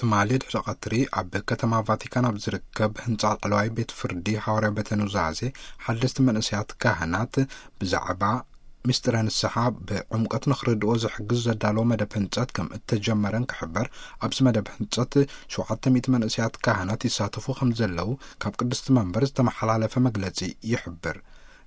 ትማሊ ድሕሪ ቀትሪ ኣብ ከተማ ቫቲካን ኣብ ዝርከብ ህንጻ ላዕለዋይ ቤት ፍርዲ ሃዋርያ ቤተ ኑዛዜ ሓደስቲ መንእሰያት ካህናት ብዛዕባ ምስጢረ ንስሓ ብዕምቀት ንኽርድኦ ዝሕግዝ ዘዳለዎ መደብ ህንጸት ከም እተጀመረን ክሕበር፣ ኣብዚ መደብ ህንጸት ሸውዓተ ሚእቲ መንእሰያት ካህናት ይሳተፉ ከም ዘለዉ ካብ ቅድስቲ መንበር ዝተመሓላለፈ መግለጺ ይሕብር።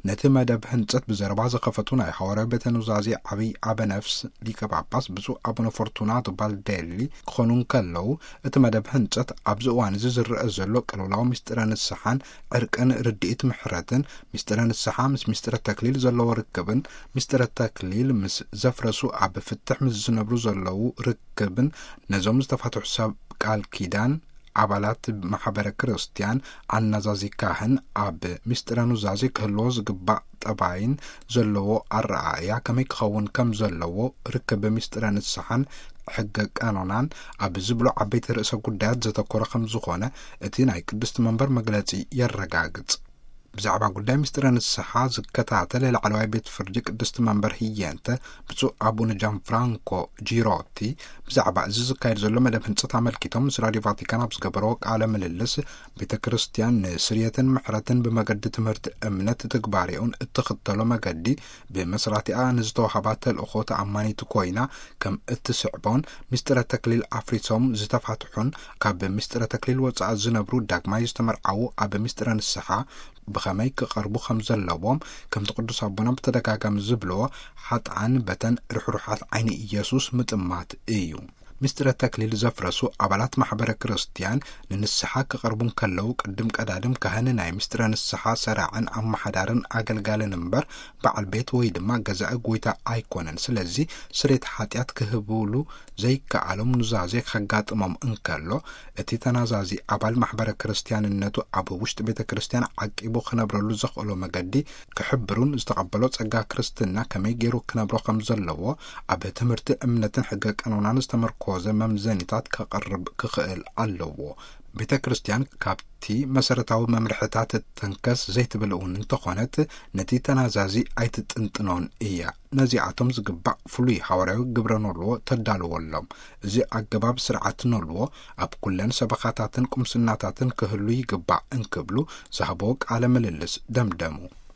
ነቲ መደብ ህንጸት ብዘረባ ዝኸፈቱ ናይ ሃዋርያ ቤተ ኑዛዜ ዓብይ ኣበ ነፍስ ሊቀ ጳጳስ ብፁዕ ኣቡነ ፎርቱናቶ ባልዴሊ ክኾኑ እንከለዉ፣ እቲ መደብ ህንጸት ኣብዚ እዋን እዚ ዝረአ ዘሎ ቅልውላው ምስጢረ ንስሓን ዕርቅን ርድኢት ምሕረትን፣ ምስጢረ ንስሓ ምስ ምስጢረ ተክሊል ዘለዎ ርክብን፣ ምስጢረ ተክሊል ምስ ዘፍረሱ ኣብ ፍትሕ ምስ ዝነብሩ ዘለዉ ርክብን፣ ነዞም ዝተፋትሑ ሰብ ቃል ኪዳን ኣባላት ማሕበረ ክርስቲያን ኣናዛዚ ካህን ኣብ ምስጢረ ኑዛዜ ክህልዎ ዝግባእ ጠባይን ዘለዎ ኣረኣእያ ከመይ ክኸውን ከም ዘለዎ ርክብ ምስጢረ ንስሓን ሕገ ቀኖናን ኣብ ዝብሉ ዓበይቲ ርእሰ ጉዳያት ዘተኮረ ከም ዝኾነ እቲ ናይ ቅድስቲ መንበር መግለጺ የረጋግጽ። ብዛዕባ ጉዳይ ምስጢረ ንስሓ ዝከታተል ላዕለዋይ ቤት ፍርዲ ቅድስቲ መንበር ህየንተ ብፁዕ ኣቡነ ጃን ፍራንኮ ጂሮቲ ብዛዕባ እዚ ዝካየድ ዘሎ መደብ ህንጸት ኣመልኪቶም ምስ ራዲዮ ቫቲካን ኣብ ዝገበረዎ ቃለ ምልልስ፣ ቤተ ክርስቲያን ንስርየትን ምሕረትን ብመገዲ ትምህርቲ እምነት ትግባሬኡን እትኽተሎ መገዲ ብመስራቲኣ ንዝተዋህባ ተልእኾ ተኣማኒት ኮይና ከም እትስዕቦን፣ ምስጢረ ተክሊል ኣፍሪሶም ዝተፋትሑን ካብ ምስጢረ ተክሊል ወጻኢ ዝነብሩ ዳግማይ ዝተመርዓዉ ኣብ ምስጢረ ንስሓ ብኸመይ ክቐርቡ ከም ዘለዎም፣ ከምቲ ቅዱስ ኣቦና ብተደጋጋሚ ዝብልዎ፣ ሓጥኣን በተን ርሕሩሓት ዓይኒ ኢየሱስ ምጥማት እዩ። ምስጢረ ተክሊል ዘፍረሱ ኣባላት ማሕበረ ክርስቲያን ንንስሓ ክቐርቡ እንከለዉ፣ ቅድም ቀዳድም ካህን ናይ ምስጢረ ንስሓ ሰራዕን ኣመሓዳርን ኣገልጋልን እምበር፣ በዓል ቤት ወይ ድማ ገዛኢ ጎይታ ኣይኮነን። ስለዚ ስርየት ሓጢኣት ክህብሉ ዘይከኣሎም ኑዛዜ ከጋጥሞም እንከሎ፣ እቲ ተናዛዚ ኣባል ማሕበረ ክርስቲያንነቱ ኣብ ውሽጢ ቤተ ክርስቲያን ዓቂቡ ክነብረሉ ዘኽእሎ መገዲ ክሕብሩን ዝተቐበሎ ጸጋ ክርስትና ከመይ ገይሩ ክነብሮ ከም ዘለዎ ኣብ ትምህርቲ እምነትን ሕገ ቀኖናን ዝተመርኮዘ መምዘኒታት ከቐርብ ክኽእል ኣለዎ። ቤተ ክርስቲያን ካብቲ መሰረታዊ መምርሕታት ተንከስ ዘይትብል እውን እንተኾነት፣ ነቲ ተናዛዚ ኣይትጥንጥኖን እያ። ነዚኣቶም ዝግባእ ፍሉይ ሃዋርያዊ ግብረ ኖልዎ ተዳልወሎም። እዚ ኣገባብ ስርዓት ኖልዎ ኣብ ኩለን ሰበኻታትን ቁምስናታትን ክህሉ ይግባእ እንክብሉ ዝሃቦ ቃለ ምልልስ ደምደሙ።